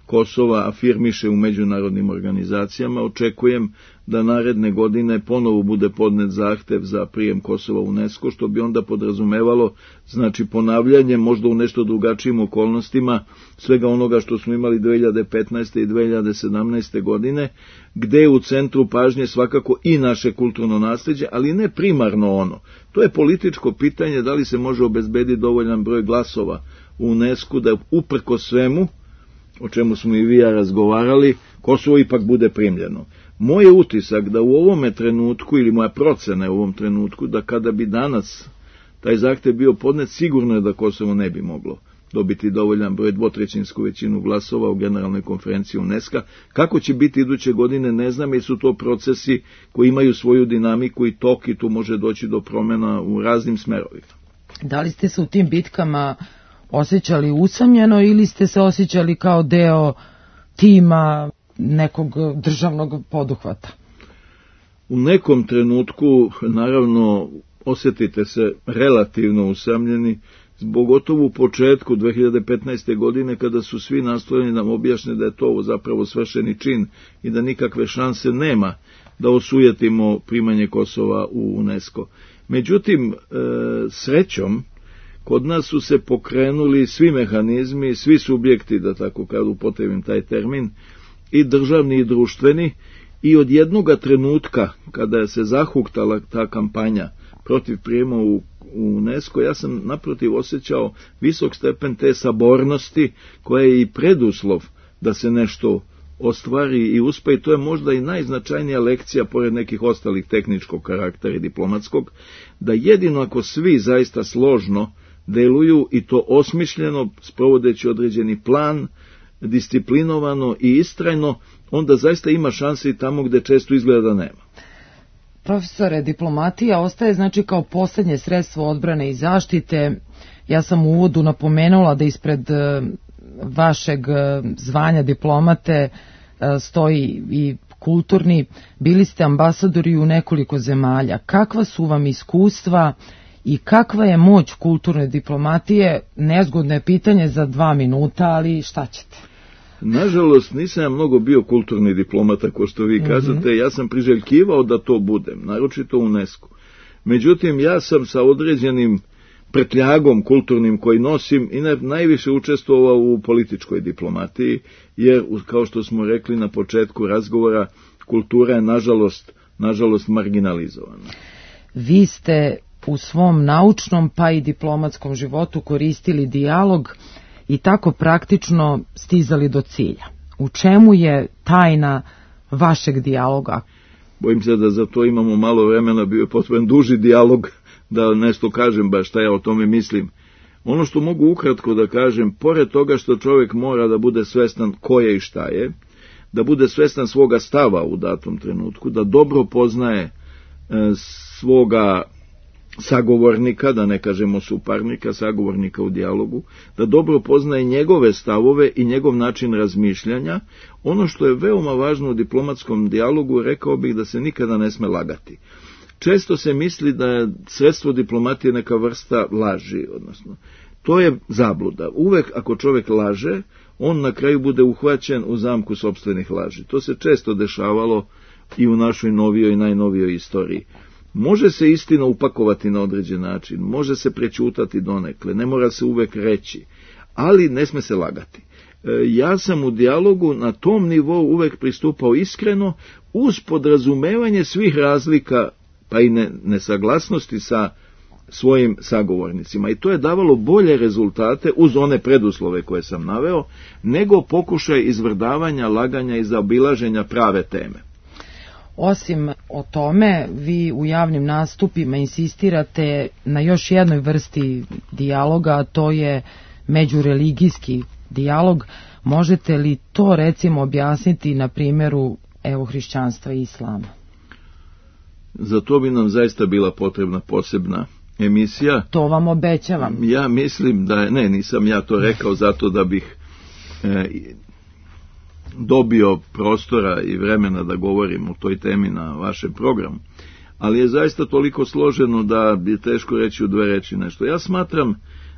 Kosova afirmiše u međunarodnim organizacijama, očekujem da naredne godine ponovo bude podnet zahtev za prijem Kosova u UNESCO, što bi onda podrazumevalo, znači, ponavljanje, možda u nešto drugačijim okolnostima, svega onoga što smo imali dve hiljade petnaeste i dve hiljade sedamnaeste godine, gde je u centru pažnje svakako i naše kulturno nasleđe, ali ne primarno ono. To je političko pitanje da li se može obezbediti dovoljan broj glasova u UNESCO da uprko svemu, o čemu smo i vi ja razgovarali, Kosovo ipak bude primljeno. Moj je utisak da u ovome trenutku, ili moja procena je u ovom trenutku, da kada bi danas taj zahtev bio podnet, sigurno je da Kosovo ne bi moglo dobiti dovoljan broj, dvotrećinsku većinu glasova u generalnoj konferenciji UNESCO. Kako će biti iduće godine, ne znam, jer su to procesi koji imaju svoju dinamiku i tok i tu može doći do promjena u raznim smerovima. Da li ste se u tim bitkama osjećali usamljeno ili ste se osjećali kao deo tima nekog državnog poduhvata? U nekom trenutku, naravno, osjetite se relativno usamljeni, zbog gotovo u početku dve hiljade petnaeste. godine, kada su svi nastojani nam objašnje da je to zapravo svršeni čin i da nikakve šanse nema da osujetimo primanje Kosova u UNESCO. Međutim, e, srećom, kod nas su se pokrenuli svi mehanizmi, svi subjekti, da tako kad upotrebim taj termin, i državni i društveni, i od jednoga trenutka kada se zahuktala ta kampanja protiv prijema u, u UNESCO, ja sam naprotiv osjećao visok stepen te sabornosti koja je i preduslov da se nešto ostvari i uspe, i to je možda i najznačajnija lekcija, pored nekih ostalih tehničkog karaktera i diplomatskog, da jedino ako svi zaista složno deluju i to osmišljeno, sprovodeći određeni plan, disciplinovano i istrajno, onda zaista ima šanse i tamo gde često izgleda da nema. Profesore, diplomatija ostaje znači kao posljednje sredstvo odbrane i zaštite. Ja sam u uvodu napomenula da ispred vašeg zvanja diplomate stoji i kulturni. Bili ste ambasadori u nekoliko zemalja. Kakva su vam iskustva i kakva je moć kulturne diplomatije? Nezgodno je pitanje za dva minuta, ali šta ćete? Nažalost, nisam ja mnogo bio kulturni diplomata, ko što vi kažete. Mm-hmm. Ja sam priželjkivao da to budem, naročito u UNESCO. Međutim, ja sam sa određenim prtljagom kulturnim koji nosim i najviše učestvovao u političkoj diplomatiji, jer, kao što smo rekli na početku razgovora, kultura je nažalost, nažalost marginalizovana. Vi ste u svom naučnom pa i diplomatskom životu koristili dijalog i tako praktično stizali do cilja. U čemu je tajna vašeg dijaloga? Bojim se da za to imamo malo vremena, bio je potreban duži dijalog da nešto kažem baš šta ja o tome mislim. Ono što mogu ukratko da kažem, pored toga što čovjek mora da bude svestan ko je i šta je, da bude svestan svoga stava u datom trenutku, da dobro poznaje svoga sagovornika, da ne kažemo suparnika, sagovornika u dijalogu, da dobro poznaje njegove stavove i njegov način razmišljanja. Ono što je veoma važno u diplomatskom dijalogu, rekao bih da se nikada ne sme lagati. Često se misli da je sredstvo diplomatije neka vrsta laži, odnosno to je zabluda. Uvek ako čovjek laže, on na kraju bude uhvaćen u zamku sopstvenih laži. To se često dešavalo i u našoj novijoj i najnovijoj istoriji. Može se istina upakovati na određen način, može se prećutati donekle, ne mora se uvek reći, ali ne sme se lagati. E, ja sam u dijalogu na tom nivou uvek pristupao iskreno, uz podrazumevanje svih razlika, pa i ne, nesaglasnosti sa svojim sagovornicima. I to je davalo bolje rezultate, uz one preduslove koje sam naveo, nego pokušaj izvrdavanja, laganja i zaobilaženja prave teme. Osim o tome, vi u javnim nastupima insistirate na još jednoj vrsti dijaloga, a to je međureligijski dijalog. Možete li to recimo objasniti na primjeru evo hrišćanstva i islama? Za to bi nam zaista bila potrebna posebna emisija. To vam obećavam. Ja mislim da je, ne, nisam ja to rekao zato da bih e, dobio prostora i vremena da govorim o toj temi na vašem programu, ali je zaista toliko složeno da je teško reći u dve reči nešto. Ja smatram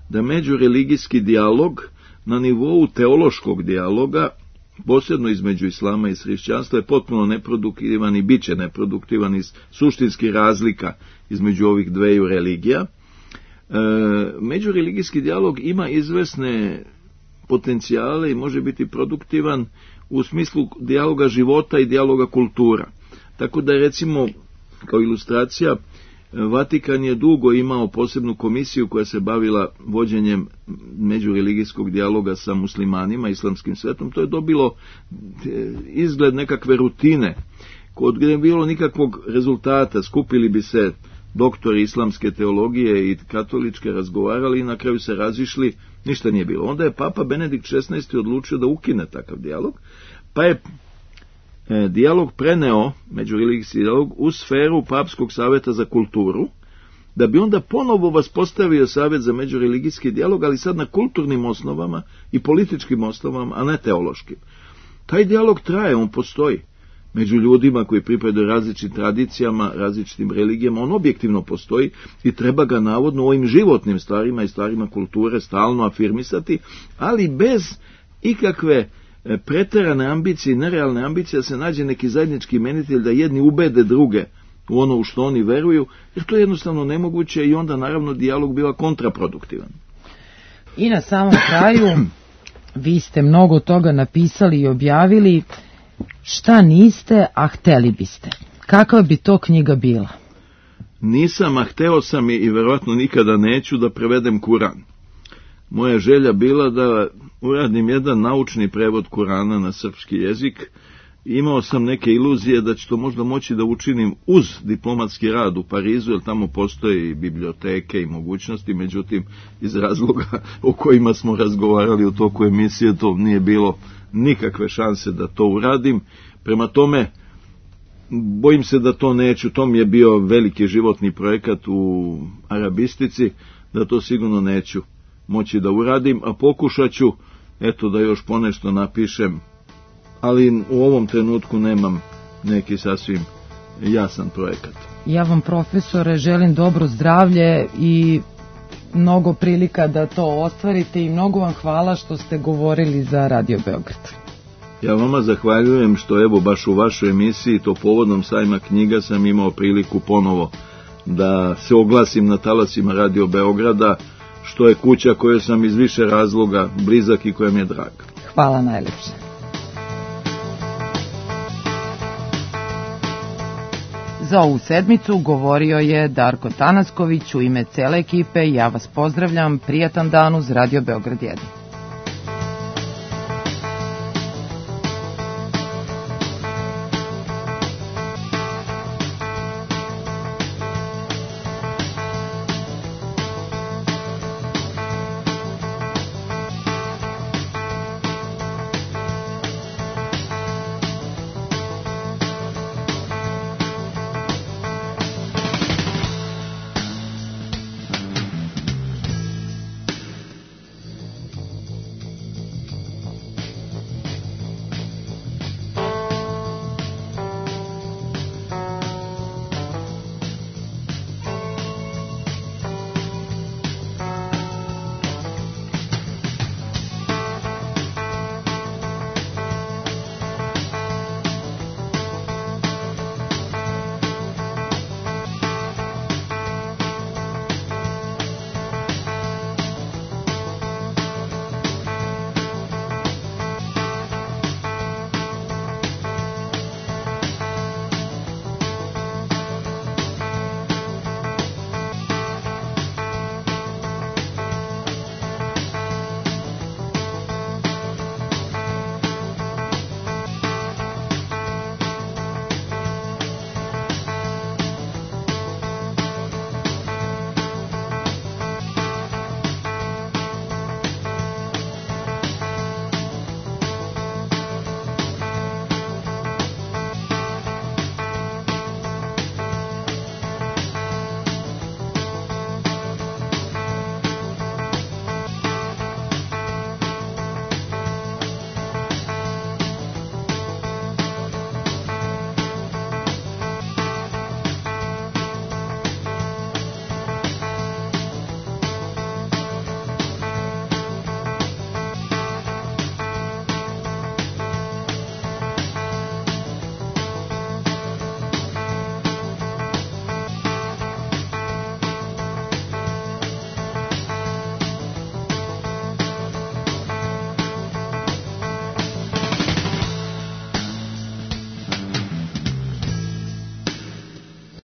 da međureligijski dijalog na nivou teološkog dijaloga, posebno između islama i hrišćanstva, je potpuno neproduktivan i bit će neproduktivan iz suštinskih razlika između ovih dveju religija. E, međureligijski dijalog ima izvesne potencijale i može biti produktivan u smislu dijaloga života i dijaloga kultura. Tako da, recimo, kao ilustracija, Vatikan je dugo imao posebnu komisiju koja se bavila vođenjem međureligijskog dijaloga sa muslimanima, islamskim svetom. To je dobilo izgled nekakve rutine, kod gdje je bilo nikakvog rezultata. Skupili bi se doktori islamske teologije i katoličke, razgovarali i na kraju se razišli, ništa nije bilo. Onda je Papa Benedikt šesnaesti odlučio da ukine takav dijalog, pa je e, dijalog preneo, međureligijski dijalog, u sferu Papskog saveta za kulturu, da bi onda ponovo vaspostavio Savet za međureligijski dijalog, ali sad na kulturnim osnovama i političkim osnovama, a ne teološkim. Taj dijalog traje, on postoji. Među ljudima koji pripadaju različitim tradicijama, različitim religijama, on objektivno postoji i treba ga navodno u ovim životnim stvarima i stvarima kulture stalno afirmisati, ali bez ikakve preterane ambicije i nerealne ambicije da se nađe neki zajednički imenitelj da jedni ubede druge u ono u što oni veruju, jer to je jednostavno nemoguće i onda naravno dijalog biva kontraproduktivan. I na samom kraju, vi ste mnogo toga napisali i objavili. Šta niste, a hteli biste? Kakva bi to knjiga bila? Nisam, a hteo sam i verovatno nikada neću da prevedem Kuran. Moja želja bila da uradim jedan naučni prevod Kurana na srpski jezik. Imao sam neke iluzije da će to možda moći da učinim uz diplomatski rad u Parizu, jer tamo postoje i biblioteke i mogućnosti, međutim iz razloga o kojima smo razgovarali u toku emisije to nije bilo nikakve šanse da to uradim. Prema tome, bojim se da to neću, to mi je bio veliki životni projekat u arabistici, da to sigurno neću moći da uradim, a pokušat ću, eto, da još ponešto napišem, ali u ovom trenutku nemam neki sasvim jasan projekat. Ja vam, profesore, želim dobro zdravlje i mnogo prilika da to ostvarite i mnogo vam hvala što ste govorili za Radio Beograd. Ja vama zahvaljujem što evo baš u vašoj emisiji, to povodom sajma knjiga, sam imao priliku ponovo da se oglasim na talasima Radio Beograda, što je kuća kojoj sam iz više razloga blizak i koja mi je draga. Hvala najlepše. Za ovu sedmicu govorio je Darko Tanasković u ime cele ekipe. Ja vas pozdravljam, prijatan dan uz Radio Beograd jedan.